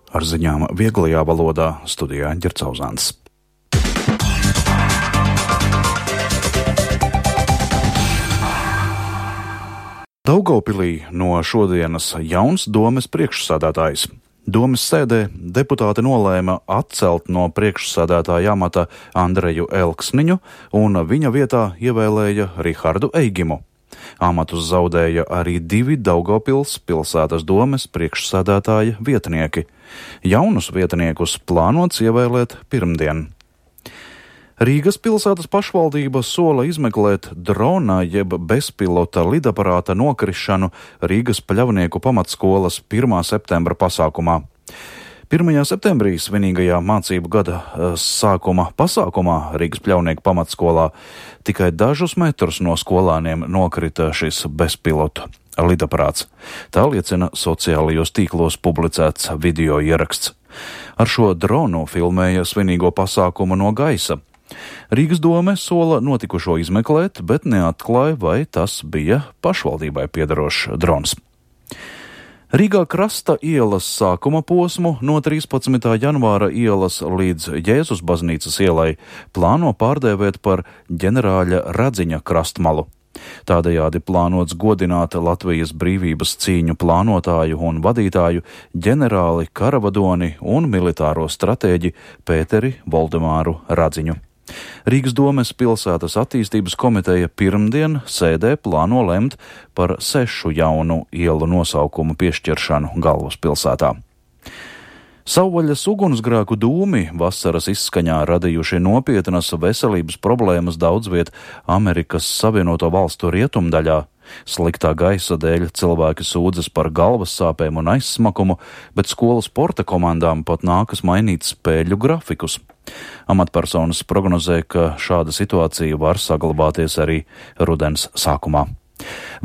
Ar ziņām vieglajā valodā studijā Ģercauzāns. Daugavpilī no šodienas jauns domes priekšsādātājs. Domes sēdē deputāti nolēma atcelt no priekšsādātāja amata Andreju Elksniņu un viņa vietā ievēlēja Rihardu Eigimu. Amatus zaudēja arī 2 Daugavpils pilsētas domes priekšsādātāja vietnieki. Jaunus vietniekus plānots ievēlēt pirmdien. Rīgas pilsētas pašvaldība sola izmeklēt drona jeb bezpilota lidaparāta nokrišanu Rīgas Pļavnieku pamatskolas 1. septembra pasākumā. 1. septembrī svinīgajā mācību gada sākuma pasākumā Rīgas Pļavnieku pamatskolā tikai dažus metrus no skolāniem nokrita šis bezpilotu lidaparāts. Tā liecina sociālajos tīklos publicēts video ieraksts. Ar šo dronu filmēja svinīgo pasākumu no gaisa. Rīgas dome sola notikušo izmeklēt, bet neatklāja, vai tas bija pašvaldībai piederošs drons. Rīgā Krasta ielas sākuma posmu no 13. janvāra ielas līdz Jēzus baznīcas ielai plāno pārdēvēt par ģenerāļa Radziņa krastmalu. Tādējādi plānots godināt Latvijas brīvības cīņu plānotāju un vadītāju ģenerāli karavadoni un militāro stratēģi Pēteri Voldemāru Radziņu. Rīgas domes pilsētas attīstības komiteja pirmdien sēdē plāno lemt par 6 jaunu ielu nosaukumu piešķiršanu galvaspilsētā. Savvaļas ugunsgrēku dūmi vasaras izskaņā radījuši nopietnas veselības problēmas daudzviet Amerikas Savienoto Valstu rietumdaļā. Sliktā gaisa dēļ cilvēki sūdzas par galvas sāpēm un aizsmakumu, bet skolu sporta komandām pat nākas mainīt spēļu grafikus. Amatpersonas prognozē, ka šāda situācija var saglabāties arī rudens sākumā.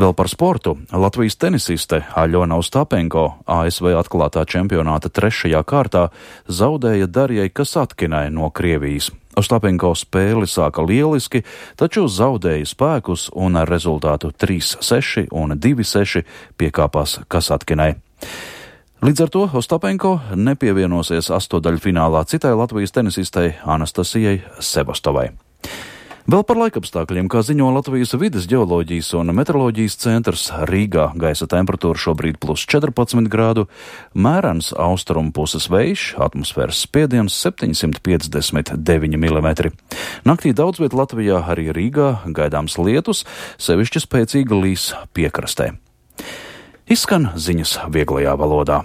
Vēl par sportu. Latvijas tenisiste Aļona Ostapenko ASV atklātā čempionāta 3. kārtā zaudēja Darjai Kasatkinai no Krievijas. Ostapenko spēli sāka lieliski, taču zaudēja spēkus un ar rezultātu 3-6 un 2-6 piekāpās Kasatkinai. Līdz ar to Ostapenko nepievienosies astotdaļfinālā citai Latvijas tenisistei Anastasijai Sebastovai. Vēl par laikapstākļiem, kā ziņo Latvijas vides ģeoloģijas un meteoroloģijas centrs, Rīgā gaisa temperatūra šobrīd +14 grādu, mērens austrumu puses vējš, atmosfēras spiediens 759 mm. Naktī daudz viet Latvijā, arī Rīgā, gaidāms lietus, sevišķi spēcīga līs piekrastē. Izskan ziņas vieglajā valodā.